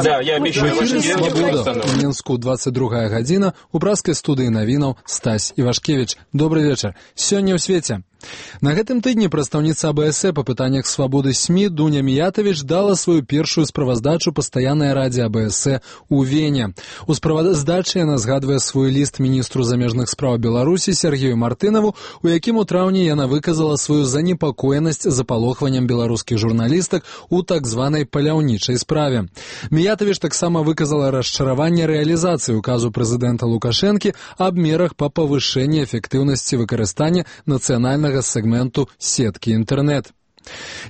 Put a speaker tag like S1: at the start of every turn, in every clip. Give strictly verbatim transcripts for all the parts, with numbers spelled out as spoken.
S1: Да, я обещаю, ваша деревня будет
S2: «Свобода». У Мінску двадцать другая гадзіна. У праскай студыі навінаў Стась Івашкевіч. Добрый вечар. Сёння ў свеце. На гэтым тыдні прадстаўніца А Бэ Эс Э па пытаннях свабоды СМІ Дуня Міятавіч дала сваю першую справаздачу пастаяннай радзе А Бэ Эс Э ў Вене. У справаздачы яна згадвае свой ліст міністру замежных спраў Беларусі Сергею Мартынаву, у якім у траўні яна выказала сваю занепакоенасць запалохваннем беларускіх журналістак у так званай паляўнічай справе. Міятавіч таксама выказала расчараванне рэалізацыі указу прэзідэнта Лукашэнкі аб мерах па павышэнні эфектыўнасці выкарыстання нацыянальнага сегменту сеткі інтэрнэт.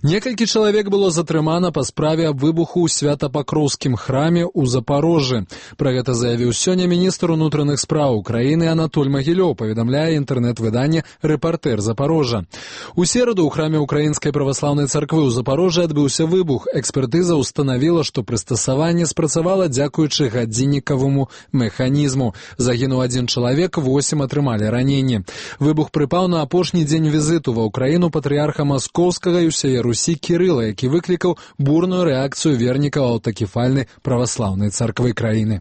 S2: Некалькі чалавек было затрымана па справе аб выбуху ў Свята-Пакроўскім храме ў Запарожжы. Пра гэта заявіў сёння міністр унутраных спраў краіны Анатоль Магілёў, паведамляе інтэрнэт-выданне «Рэпартэр Запарожжа». У сераду ў храме Украінскай праваслаўнай царквы ў Запарожжы адбыўся выбух. Экспертыза ўстанавіла, што прыстасаванне спрацавала дзякуючы гадзіннікаваму механізму. Загінуў адзін чалавек, восем атрымалі раненні. Выбух прыпаў на апошні дзень візіту ва ўкраіну патрыярха Маскоўскага і ўсяе Русі Кірыла, які выклікаў бурную рэакцыю вернікаў аўтакефальнай праваслаўнай царквы краіны.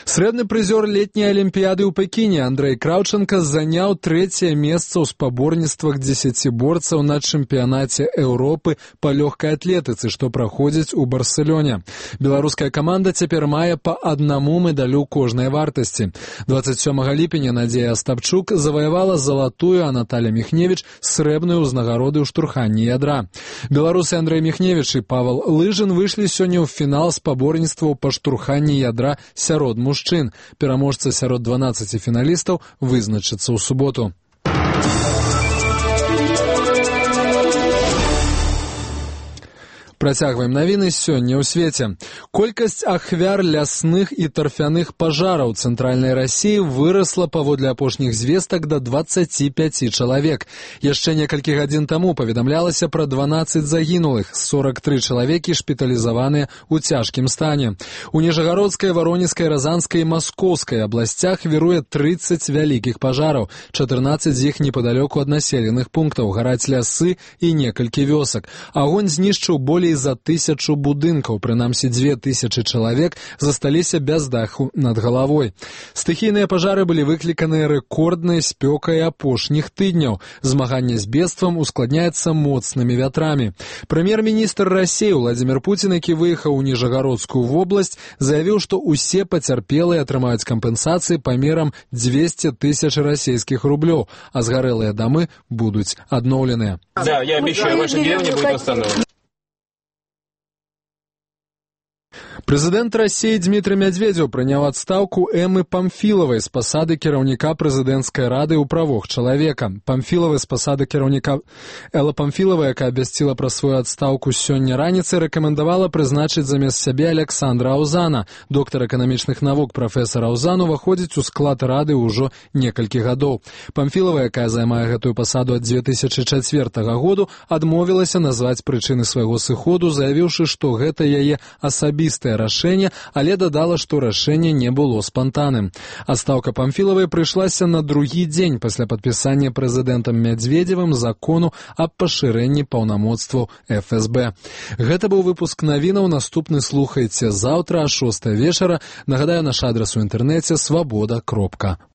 S2: Срэбны прызёр летняй алімпіяды ў Пекіне Андрэй Краўчанка заняў трэцяе месца ў спаборніцтвах дзесяціборцаў на чэмпіянаце Еўропы па лёгкай атлетыцы, што праходзіць у Барселоне. Беларуская каманда цяпер мае па аднаму медалю кожнай вартасці. двадцать сёмага ліпеня Надзея Астапчук заваявала залатую, а Наталя Міхневіч срэбную ўзнагароды ў штурханні ядра. Беларусы Андрэй Міхневіч і Павал Лыжын выйшлі сёння ў фінал спаборніцтваў па штурханні ядра сярод мужчын. Пераможца сярод дванаццаці фіналістаў вызначыцца ў суботу. Працягваем навіны сёння ў свеце. Колькасць ахвяр лясных і тарфяных пажараў цэнтральнай Расіі вырасла паводле апошніх звестак да дваццаці пяці чалавек. Яшчэ некалькі гадзін таму паведамлялася пра дванаццаць загінулых, сорак тры чалавекі шпіталізаваныя ў цяжкім стане. У Ніжагародскай, Варонежскай, Разанскай і Маскоўскай абласцях віруе трыццаць вялікіх пажараў, чатырнаццаць з іх непадалёку ад населеных пунктаў, гараць лясы і некалькі вёсак. Агонь знішчыў болей за тысячу будынкаў, прынамсі дзве тысячы чалавек засталіся без даху над галавой. Стыхійныя пажары былі выкліканыя рэкорднай спёкай апошніх тыдняў. Змаганне з бедствам ускладняецца моцнымі вятрамі. Прэм'ер-міністр Расіі Владзімір Пуцін, які выехаў у Ніжагародскую вобласць, заявіў, што ўсе пацярпелыя атрымаюць кампенсацыі памерам дзвесце тысяч расійскіх рублёў, а згарэлыя дамы будуць адноўленыя.
S1: Да, я обещаю, ваша деревня будет восстановлена.
S2: Прэзідэнт Расіі Дмітрый Мядзведзеў прыняў адстаўку Эммы Памфілавай з пасады кіраўніка прэзідэнцкай рады ў правах чалавека. Памфілавай з пасады кіраўніка Элла Памфілава, якая абвясціла пра сваю адстаўку сёння раніцай, рэкамендавала прызначыць замест сябе Александра Аўзана. Доктар эканамічных навук прафесар Аўзан уваходзіць у склад рады ўжо некалькі гадоў. Памфілава, якая займае гэтую пасаду ад дзве тысячы чацвёртага году, адмовілася назваць прычыны свайго сыходу, заявіўшы, што гэта яе асабістае рашэнне, але дадала, што рашэнне не было спантанным. Адстаўка Памфілавай прыйшлася на другі дзень пасля падпісання прэзідэнтам Мядзведзевым закону аб пашырэнні паўнамоцтваў Эф Эс Бэ. Гэта быў выпуск навінаў, наступны слухайце заўтра а шостай вечара. Нагадаю, наш адрас у інтэрнэце свабода кропка